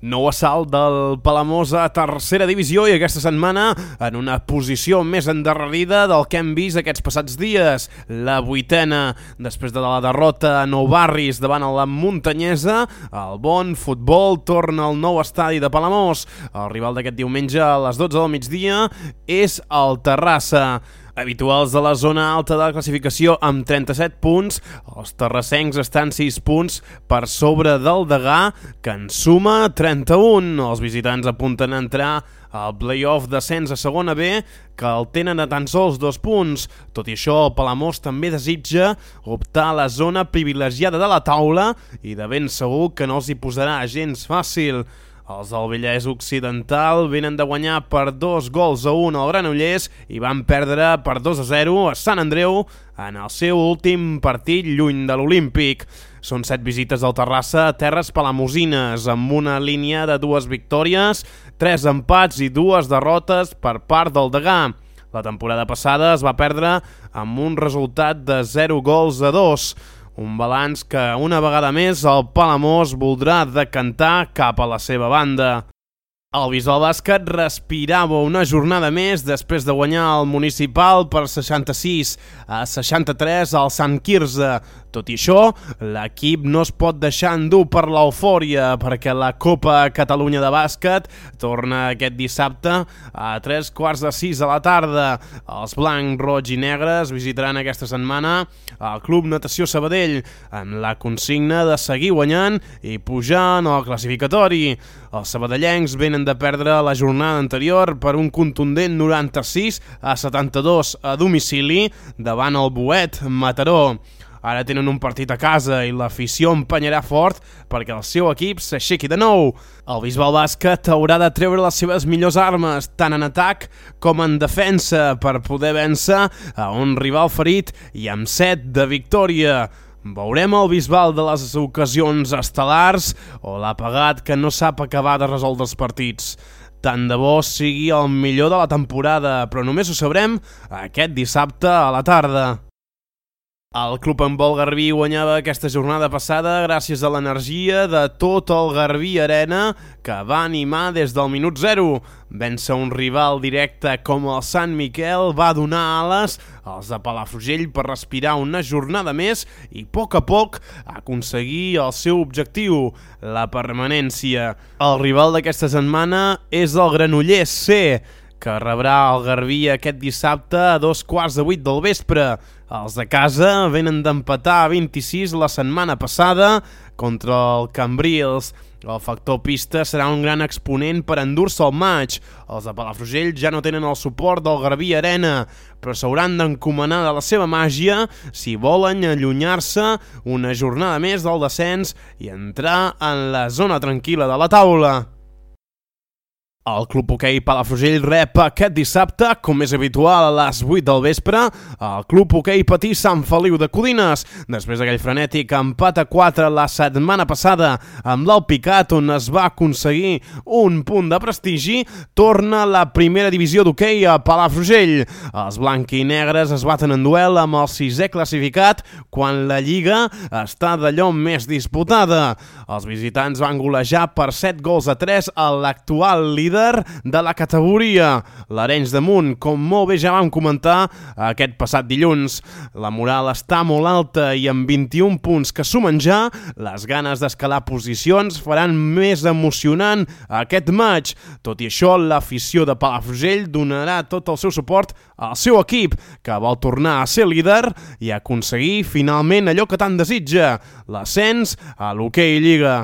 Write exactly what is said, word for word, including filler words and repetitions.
Nou assalt del Palamós a tercera divisió i aquesta setmana en una posició més endarrerida del que hem vist aquests passats dies. La vuitena, després de la derrota a Nou Barris davant la Muntanyesa, el bon futbol torna al nou estadi de Palamós. El rival d'aquest diumenge a les dotze del migdia és el Terrassa. Habituals de la zona alta de la classificació amb trenta-set punts, els terrassencs estan sis punts per sobre del Degà, que en suma trenta-un. Els visitants apunten a entrar al play-off d'ascens a segona B, que el tenen a tan sols dos punts. Tot i això, el Palamós també desitja optar a la zona privilegiada de la taula i de ben segur que no els hi posarà gens fàcil. Els del Vallès Occidental venen de guanyar per dos gols a un al Granollers i van perdre per dos a zero a Sant Andreu en el seu últim partit lluny de l'Olímpic. Són set visites del Terrassa a terres palamosines, amb una línia de dues victòries, tres empats i dues derrotes per part del Degà. La temporada passada es va perdre amb un resultat de zero gols a dos. Un balanç que una vegada més el Palamós voldrà decantar cap a la seva banda. El Bisbal Bàsquet respirava una jornada més després de guanyar el Municipal per seixanta-sis a seixanta-tres al Sant Quirze. Tot i això, l'equip no es pot deixar endur per l'eufòria perquè la Copa Catalunya de Bàsquet torna aquest dissabte a tres quarts de sis de la tarda. Els blancs, roig i negres visitaran aquesta setmana el Club Natació Sabadell amb la consigna de seguir guanyant i pujar en el classificatori. Els sabadellencs venen de perdre la jornada anterior per un contundent noranta-sis a setanta-dos a domicili davant el Boet Mataró. Ara tenen un partit a casa i l'afició empenyarà fort perquè el seu equip s'aixequi de nou. El Bisbal Bàsquet haurà de treure les seves millors armes, tant en atac com en defensa, per poder vèncer a un rival ferit i amb set de victòria. Veurem el Bisbal de les ocasions estel·lars o l'apagat que no sap acabar de resoldre els partits. Tant de bo sigui el millor de la temporada, però només ho sabrem aquest dissabte a la tarda. El Club Handbol Garbí guanyava aquesta jornada passada gràcies a l'energia de tot el Garbí Arena, que va animar des del minut zero. Vèncer un rival directe com el Sant Miquel va donar ales als de Palafrugell per respirar una jornada més i a poc a poc aconseguir el seu objectiu, la permanència. El rival d'aquesta setmana és el Granollers C, que rebrà el Garbí aquest dissabte a dos quarts de vuit del vespre. Els de casa venen d'empatar a vint-i-sis la setmana passada contra el Cambrils. El factor pista serà un gran exponent per endur-se el maig. Els de Palafrugell ja no tenen el suport del Garbí Arena, però s'hauran d'encomanar de la seva màgia si volen allunyar-se una jornada més del descens i entrar en la zona tranquil·la de la taula. El Club Hoquei Palafrugell rep aquest dissabte, com és habitual a les vuit del vespre, el Club Hoquei Patí Sant Feliu de Codines. Després d'aquell frenètic empat a quatre la setmana passada amb l'Alpicat, on es va aconseguir un punt de prestigi, torna la primera divisió d'hoquei a Palafrugell. Els blancs i negres es baten en duel amb el sisè classificat quan la Lliga està d'allò més disputada. Els visitants van golejar per set gols a tres a l'actual líder de la categoria, l'Arenys de Munt, com molt bé ja vam comentar aquest passat dilluns. La moral està molt alta i amb vint-i-un punts que sumen ja, les ganes d'escalar posicions faran més emocionant aquest maig. Tot i això, l'afició de Palafrugell donarà tot el seu suport al seu equip, que vol tornar a ser líder i aconseguir finalment allò que tant desitja, l'ascens a l'Hoquei Lliga.